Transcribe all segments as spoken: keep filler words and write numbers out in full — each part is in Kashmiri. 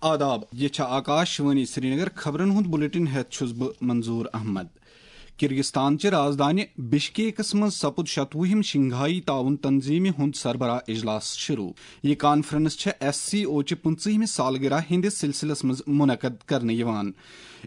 آداب، یہِ چھےٚ آکاش وانی سرینگر۔ خبرن ہُنٛد بلیٹن ہٮ۪تھ چھُس بہٕ منظور احمد۔ کرغستان چہِ رازدانہِ بشکیکس منٛز سپُد شتوُہِم شنگھائی تعاون تنظیمہِ ہُنٛد سربراہ اجلاس شروع۔ یہِ کانفرنس چھےٚ ایس سی او چہِ پٕنٛژٕہمہِ سالگرہ ہٕنٛدِس سلسلس منٛز منعقد کرنہٕ یِوان۔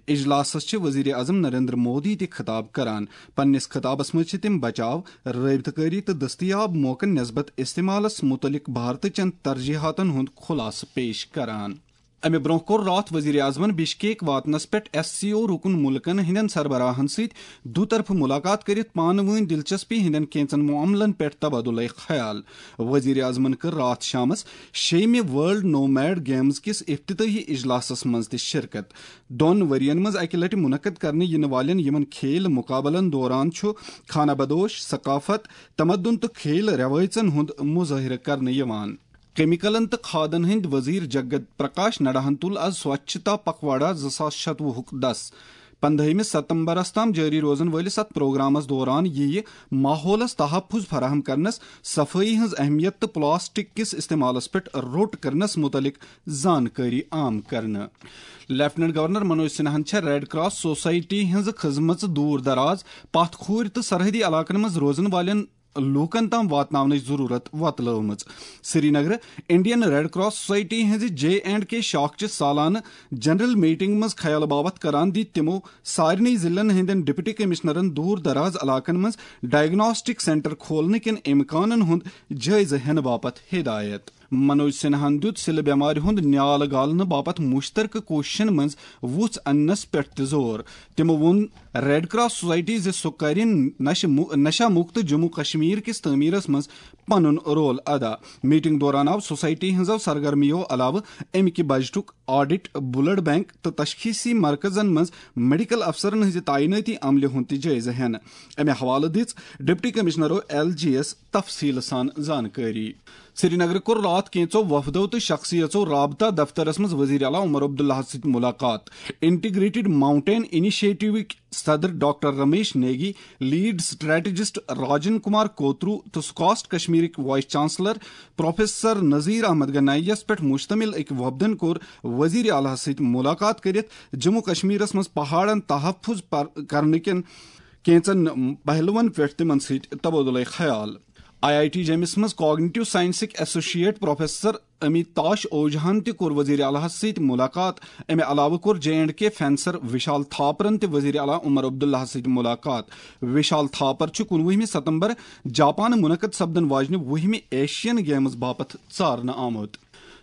اجلاسس چھِ وزیر اعظم نریندر مودی تہِ خطاب کران۔ پننِس خطابس منٛز چھِ تِم بچاو، رٲبطہٕ کٲری تہٕ دستیاب موقعن نسبت استعمالس متعلق بھارتہٕ چٮ۪ن ترجیحاتن ہُنٛد خلاصہٕ پیش کران۔ امہِ برونٛہہ کوٚر راتھ وزیر اعظمن بشکیک واتنس پٮ۪ٹھ ایس سی او رکن ملکن ہٕنٛدٮ۪ن سربراہن سۭتۍ دو طرفہٕ ملاقات کٔرِتھ پانہٕ وٲنۍ دلچسپی ہٕنٛدٮ۪ن کینژن معاملن پٮ۪ٹھ تبادلہ خیال۔ وزیر اعظمن کٔر راتھ شامس شیٚیمہِ ورلڈ نومیڈ گیمز کِس افتتاحی اجلاسس منٛز تہِ شرکت۔ دۄن ؤرین منٛز اکہِ لٹہِ منعقد کرنہٕ یِنہٕ والٮ۪ن یِمن کھیل مقابلن دوران چھُ خانہ بدوش، ثقافت، تمدن تہٕ کھیل رٮ۪وٲیژن ہُنٛد مظٲہرٕ کرنہٕ یِوان۔ کیمیکلن تہٕ کھادن ہٕنٛدۍ وزیر جگت پرکاش نڈاہن تُل از سوچھتا پکھواڑا زٕ ساس شتوُہُک دس۔ پندہٲیمہِ ستمبرس تام جٲری روزن وٲلِس اتھ پروگرامس دوران یِیہِ ماحولس تحفظ فراہم کرنس، صفٲیی ہٕنٛز اہمیت تہٕ پلاسٹک کِس استعمالس پٮ۪ٹھ روٚٹ کرنس متعلق زانکٲری عام کرنہٕ۔ لیفٹیننٹ گورنر منوج سنہاہن چھےٚ ریڈ کراس سوسائٹی ہٕنٛز خدمژ دور دراز، پتھ کھوٗرۍ تہٕ سرحدی علاقن منٛز روزن والٮ۪ن لوٗکن تام واتناونٕچ ضروٗرت وۄتلٲومٕژ۔ سرینگرٕ انڈین ریڈ کراس سوسائٹی ہٕنٛزِ جے اینڈ کے شاخ چہِ سالانہٕ جنرل میٹنگ منٛز خیال باوتھ کران دِتۍ تِمو سارنٕے ضلعن ہٕنٛدٮ۪ن ڈپٹی کمشنرن دوٗر دراز علاقن منٛز ڈائگناسٹک سینٹر کھولنہٕ کٮ۪ن امکانن ہُنٛد جٲیزٕ ہٮ۪نہٕ باپتھ ہدایت۔ منوج سنہاہن دیُت سِلہٕ بٮ۪مارِ ہُنٛد نیال گالنہٕ باپتھ مُشترکہٕ کوٗششن منٛز وُژھ اننس پٮ۪ٹھ تہِ زور۔ تِمو ووٚن، ریڈ کراس سوسائٹی زِ سُہ کرِ نشہٕ مُ-، نشہ مُکت جموں کشمیر کِس تعمیرس منٛز پنُن رول ادا۔ میٹنگ دوران آو سوسائٹی ہٕنٛزو سرگرمیو علاوٕ امہِ کہِ بجٹُک آڈٹ، بلڈ بینک تہٕ تشخیصی مرکزن منٛز میڈیکل افسرن ہٕنٛزِ تعینٲتی عملہِ ہُنٛد تہِ جٲیزٕ ہٮ۪نہٕ۔ امہِ حوالہٕ دِژ ڈپٹی کمشنرو ایل جی یس تفصیل سان زانکٲری۔ سرینگرٕ کوٚر راتھ کینٛژو وفدو تہٕ شخصیژو رابطہ دفترس منٛز وزیر اعلیٰ عمر عبداللہس سۭتۍ ملاقات۔ انٹیگریٹڈ ماؤنٹین انیشیٹوٕکۍ صدر doctor Ramesh Negi, lead strategist Rajan Kumar Kotru تہٕ سکاسٹ کشمیرٕکۍ vice chancellor professor Nazir Ahmad Ganai یس پٮ۪ٹھ مشتمل أکۍ وفدن کوٚر وزیر اعلیٰ سۭتۍ ملاقات کٔرِتھ جموں کشمیرس منٛز پہاڑن تحفظ پر-، کرنہٕ کٮ۪ن کینٛژن پہلوَن پٮ۪ٹھ تِمَن سۭتۍ تبادلہ خیال۔ آئی آئی ٹی جیمِس منٛز کاگنیٹو سائنسٕکۍ ایسوسیٹ پروفیسر امیتاش اوجہن تہِ کوٚر وزیر اعلیٰ ہَس سۭتۍ ملاقات۔ اَمہِ علاوٕ کوٚر جے اینڈ کے فینسر وشال تھاپرن تہِ وزیر اعلیٰ عمر عبداللہ ہَس سۭتۍ ملاقات۔ وشال تھاپر چھُ کُنوُہمہِ ستمبر جاپان منعقد سپدن واجنہِ وُہمہِ ایشین گیمز باپتھ ژارنہٕ آمُت۔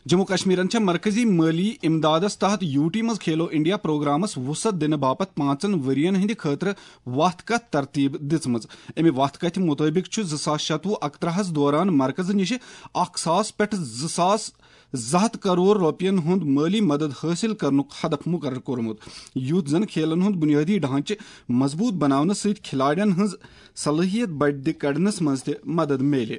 جموں کشمیرن چھےٚ مرکزی مٲلی امدادس تحت یو ٹی منٛز کھیلو انڈیا پروگرامس وسعت دِنہٕ باپتھ پانٛژن ؤرین ہٕنٛدِ خٲطرٕ وتھ کتھ ترتیب دِژمٕژ۔ امہِ وتھ کتھِ مطٲبق چھُ زٕ ساس شتوُہ اکترہس دوران مرکزٕ نِشہِ اکھ ساس پٮ۪ٹھ زٕ ساس زٕ ہتھ کرور رۄپین ہُنٛد مٲلی مدد حٲصِل کرنُک ہدف مقرر کوٚرمُت، یُتھ زن کھیلن ہُنٛد بنیٲدی ڈھانچہٕ مضبوط بناونہٕ سۭتۍ کھلاڑٮ۪ن ہٕنٛز صلٲحیت بڑِ کڑنس منٛز تہِ مدد میلہِ۔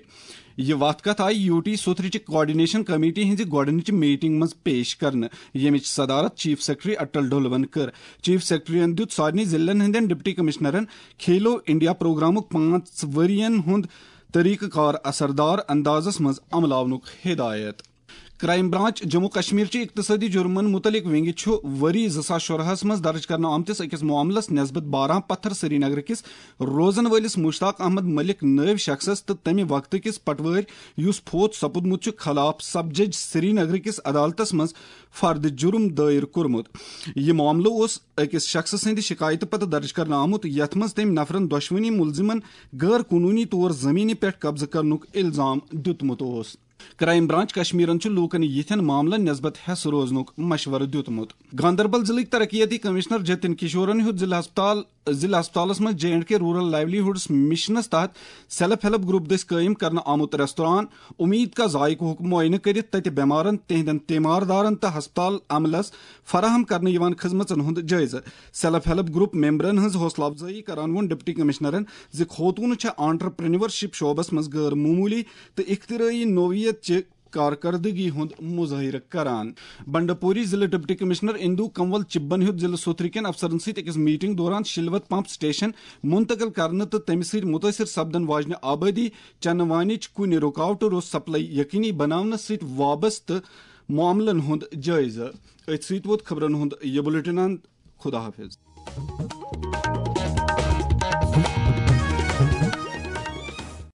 یہِ وتھ کتھ آیہِ یو ٹی سوتھرٕچہِ کوآرڈینیشن کمیٹی ہٕنٛزِ گۄڈٕنِچہِ میٹنگ منٛز پیش کرنہٕ، ییٚمِچ صدارت چیف سیکرٹری اٹل ڈھلوَن کٔر۔ چیف سیکرٹریَن دیُت سارنٕے ضلعن ہٕنٛدٮ۪ن ڈپٹی کمشنرن کھیلو انڈیا پروگرامُک پانٛژھ ؤرین ہُنٛد طریقہٕ کار اثردار اندازس منٛز عملاونُک ہدایت۔ کرائم برانچ جموں کشمیر چہِ اقتصٲدی جرمن متعلق ونگہِ چھُ ؤری زٕ ساس شُراہس منٛز درج کرنہٕ آمتِس أکِس معاملس نسبت باران پتھر سرینگر کِس روزن وٲلِس مشتاق احمد ملک نٲوۍ شخصس تہٕ تمہِ وقتہٕ کِس پٹوٲرۍ یُس فوت سپُدمُت چھُ خلاف سب جج سرینگر کِس عدالتس منٛز فرد جرم دٲیر کوٚرمُت۔ یہِ معاملہٕ اوس أکِس شخصہٕ سٕنٛدِ شکایتہٕ پتہٕ درج کرنہٕ آمُت، یتھ منٛز تٔمۍ نفرن دۄشوٕنی ملزمن غٲر قونوٗنی طور زمینہِ پٮ۪ٹھ قبضہٕ کرنُک الزام دیُتمُت اوس۔ کرائم برانچ کشمیرن چھُ لوٗکن یِتھٮ۪ن معاملن نسبت ہٮ۪س روزنُک مشورٕ دیُتمُت۔ گاندربل ضلعٕکۍ ترقیتی کمشنر جتن کشورن ہیوٚت ضلع ہسپتال، ضلع ہسپتالس منٛز J and K rural livelihoods مشنس تحت سیلف ہیلپ گروپ دٔسۍ قٲیِم کرنہٕ آمُت ریستوران امید کا ذائقہُک معائنہٕ کٔرِتھ تتہِ بٮ۪مارن، تِہنٛدٮ۪ن تیماردارن تہٕ ہسپتال عملس فراہم کرنہٕ یِوان خدمژن ہُنٛد جٲیزٕ۔ سیلف ہیلپ گروپ ممبرن ہٕنٛز حوصلہٕ افزٲیی کران ووٚن ڈپٹی کمشنرن زِ خوتوٗنہٕ چھےٚ آنٹرپرینورشپ شعبس منٛز غٲر معموٗلی تہٕ اختراعی نوعیت چہِ کارکردگی ہُنٛد مظٲہرٕ کران۔ بنڈپوری ضلع ڈپٹی کمشنر اندو کنول چبن ہیوٚت ضلع سوتھرٕ کٮ۪ن افسرن سۭتۍ أکِس میٹنگ دوران شلوت پمپ سٹیشن منتقل کرنہٕ تہٕ تَمہِ سۭتۍ مُتٲثِر سپدن واجنہِ آبٲدی چنہٕ وانِچ کُنہِ رُکاوٹہٕ روٚس سپلائی یقینی بناونس سۭتۍ وابستہٕ معاملن ہُنٛد جٲیزٕ۔ أتھۍ سۭتۍ ووت خبرن ہُنٛد یہِ بُلٹن اند۔ خدا حافظ۔